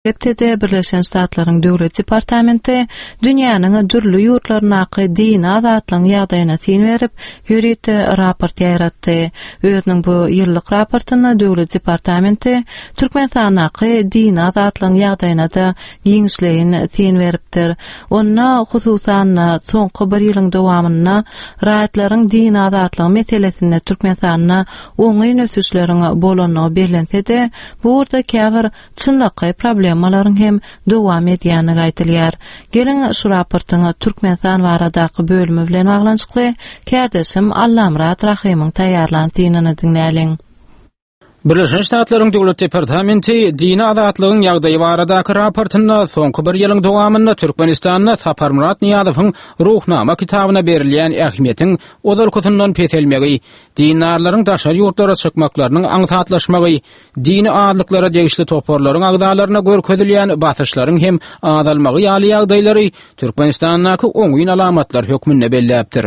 Hepdede Birleşen Ştatlaryň Döwlet departamenti dünýäniň dürli ýurtlaryndaky dini azatlygyň ýagdaýyna syn berip, ýörite raport ýaýratdy. Özüniň bu ýyllyk raportynda Döwlet departamenti Türkmenistandaky dini azatlygyň ýagdaýyna-da giňişleýin syn beripdir. Onda, hususan-da, soňky bir ýylyň dowamynda raýatlaryň dini azatlygy meselesinde Türkmenistanda oňyn ösüşleriň bolandygy bellense-de, bu ugurda käbir çynlakaý problemalaryň hem dowam edýändigi aýdylýar. Geliň, şu raportyň Türkmenistan baradaky bölümi bilen baglanyşykly kärdeşim Allamyrat Rahymyň taýýarlan synyny diňläliň. Birleşen Ştatlaryň Döwlet departamenti dini azatlygyň ýagdaýy baradaky raportynda soňky bir ýylyň dowamynda Türkmenistanda Saparmyrat Nyýazowyň Ruhnama kitabyna berilýän ähmiýetiň ozalkysyndan peselmegi, dindarlaryň daşary ýurtlara çykmaklarynyň aňsatlaşmagy, dini azlyklara degişli toparlaryň agzalaryna görkezilýän basyşlaryň hem azalmagy ýaly ýagdaýlary Türkmenistandaky oňyn alamatlar hökmünde belläpdir.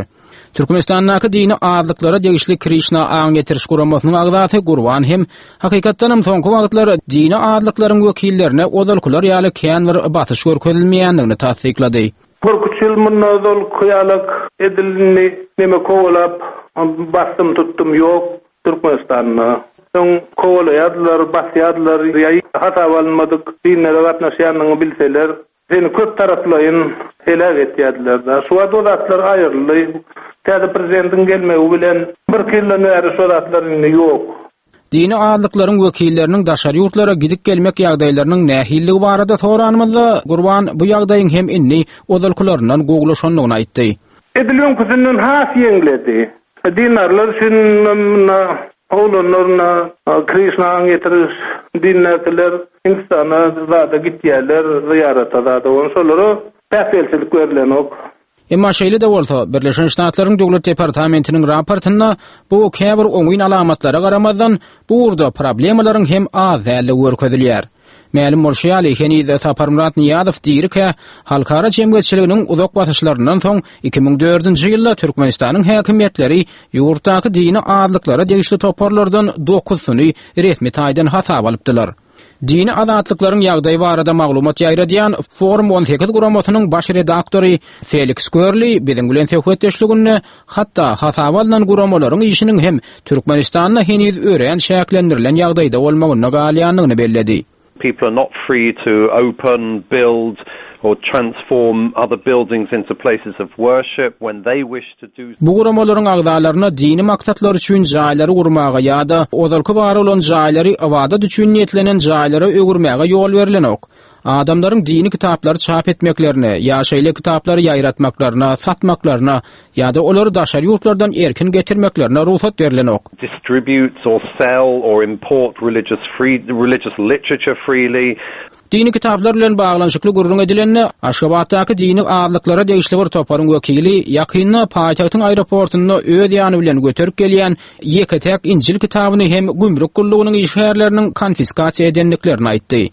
Türkmenistandaky dini azlyklara degişli Krişna aň ýetiriş guramasynyň agzasy Gurban hem hakykatdanam soňky wagtlar dini azlyklaryň wekillerine ozalkylar ýaly kän bir basyş görkezilmeýändigini tassyklady. Birküç ýyl mundan ozalky ýalak edil indi neme kowalap basdym tutdum ýok. Türkmenistanda öň kowalaýardylar, basýardylar, ýa hasaba alynmadyk dinlere gatnaşýanyňy bilseler, seni köp taraplaýyn heläk etýärdiler-de. Şu wagt o zatlar aýryldy. Täze prezidentiň gelmegi bilen birki ýyldan bäri şo zatlar indi ýok. Dini azlyklaryň wekilleriniň daşary ýurtlara gidip-gelmek ýagdaýlarynyň nähililigi barada soranymyzda, Gurban bu ýagdaýyň hem indi ozalkylaryndan gowulaşandygyny aýtdy. Edil öňküsinden has ýeňledi. Dindarlar üçin munda oglanlar munda Krişna aň ýetiriş dindäkiler Hindistana zada gitýärler zyýarata zada ony şolara päsgelçilik berilenok. Emma şeýle-de bolsa, Birleşen Ştatlaryň Döwlet departamentiniň raportynda bu käbir oňyn alamatlara garamazdan, bu ugurda problemalaryň hem az däldigi görkezilýär. Mälim bolşy ýaly, heniz Saparmyrat Nyýazow dirikä, halkara jemgyýetçiliginiň uzak basyşlaryndan soň, 2004-nji ýylda Türkmenistanyň häkimiýetleri ýurtdaky dini azlyklara degişli toparlardan dokuzysyny resmi taýdan hasaba alypdylar. Dini azatlyklaryň ýagdaýy barada maglumat ýaýradýan Forum 18 guramasynyň baş redaktory Feliks Görli biziň bilen söhbetdeşliginde hatda hasaba alnan guramalaryň işiniň hem Türkmenistanda heniz örän çäklendirilen ýagdaýda bolmagynda galýandygyny belledi. People are not free to open, build or transform other buildings into places of worship when they wish to do Bu guramalaryň agzalaryna dini maksatlar üçin jaýlary gurmaga ýa-da ozalky bar bolan jaýlary ybadat üçin niýetlenen jaýlara öwürmäge ýol berlenok. Adamlaryň dini kitaplary çap etmeklerine ýa şeýle kitaplary ýaýratmaklaryna, satmaklaryna ýa-da olary daşary ýurtlardan erkin getirmeklerine rugsat berlenok. Distribute or sell or import religious free religious literature freely. Dini kitaplar bilen baglanyşykly gürrüň edilende, Aşgabatdaky dini azlyklara degişli bir toparyň wekili ýakynda paýtagtyň aeroportunda öz ýany bilen göterip gelýän ýeke-täk Injil kitabyny hem gümrük gullugynyň işgärleriniň konfiskasiýa edendiklerini aýtdy.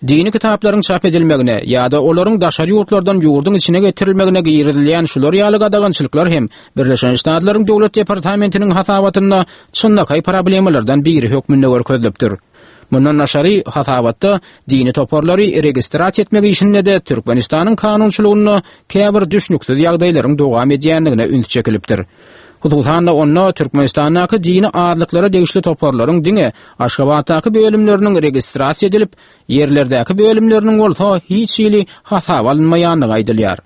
Dini kitaplaryň çap edilmegine ýa-da olaryň daşary ýurtlardan ýurduň içine getirilmegine girizilýän şular ýaly gadagançylyklar hem Birleşen Ştatlaryň Döwlet departamentiniň hasabatynda çynlakaý problemalardan biri hökmünde görkezilipdir. Mundan daşary, hasabatda dini toparlary registrasiýa etmek işinde-de Türkmenistanyň kanunçylygynda käbir düşnüksiz ýagdaýlaryň dowam edýändigine üns çekilipdir. Hususan-da, onda Türkmenistandaky dini azlyklara degişli toparlaryň diňe Aşgabatdaky bölümleriniň registrasiýa edilip, ýerlerdäki bölümleriniň bolsa hiç hili hasaba alynmaýandygy aýdylýar.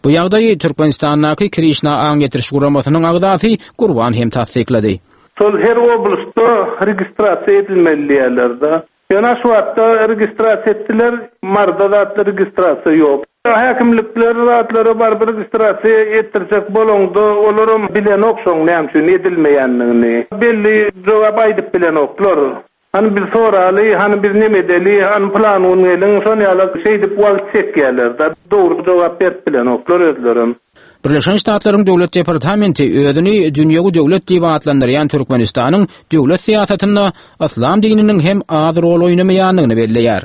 Bu ýagdaýy Türkmenistandaky Krişna aň ýetiriş guramasynyň agzasy Gurban hem tassyklady. Şol her oblastda registrasiýa edilmeli diýýärler-de. Ýöne Aşgabatda registrasiýa etdiler, Maryda zatda registrasiýa ýok. Häkimlikler zatlara baryp registrasiýa etdirjek bolaňda olaram bilenok şoň näme üçin edilmeýändigini. Belli jogap aýdyp bilenoklar. Hany biz soraly, hany biz neme edeli, hany pylan gün geliň, şon ýaly şeýdip wagt çekýärler-de. Dogry jogap berip bilenoklar özlerem. Birleşen Ştatlaryň Döwlet departamenti özüni dünýewi döwlet diýip atlandyrýan Türkmenistanyň döwlet syýasatynda yslam dininiň hem az rol oýnamaýandygyny belleýär.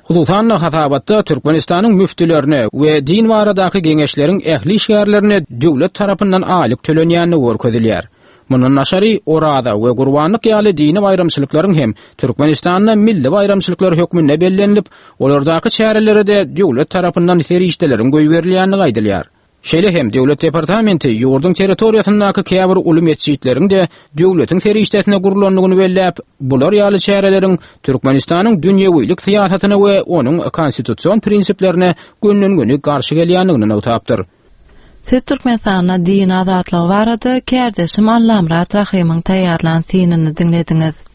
Hususan-da, hasabatda Türkmenistanyň müftülerine we din baradaky geňeşleriň ähli işgärlerine döwlet tarapyndan aýlyk tölenýändigi görkezilýär. Mundan daşary, Oraza we Gurbanlyk ýaly dini baýramçylyklaryň hem Türkmenistanda milli baýramçylyklar hökmünde bellenilip, olardaky çärelere-de döwlet tarapyndan serişdeleriň goýberilýändigi aýdylýar. Şeýle hem Döwlet departamenti ýurduň territoriýasyndaky käbir uly metjitleriň-de döwletiň serişdesine gurlandygyny belläp, bular ýaly çäreleriň Türkmenistanyň dünýewilik syýasatyna we onuň konstitusion prinsiplerine gönden-göni garşy gelýändigini nygtapdyr. Siz Türkmenistanda din azatlygy barada kärdeşim Allamyrat Rahymyň taýýarlan synyny diňlediňiz.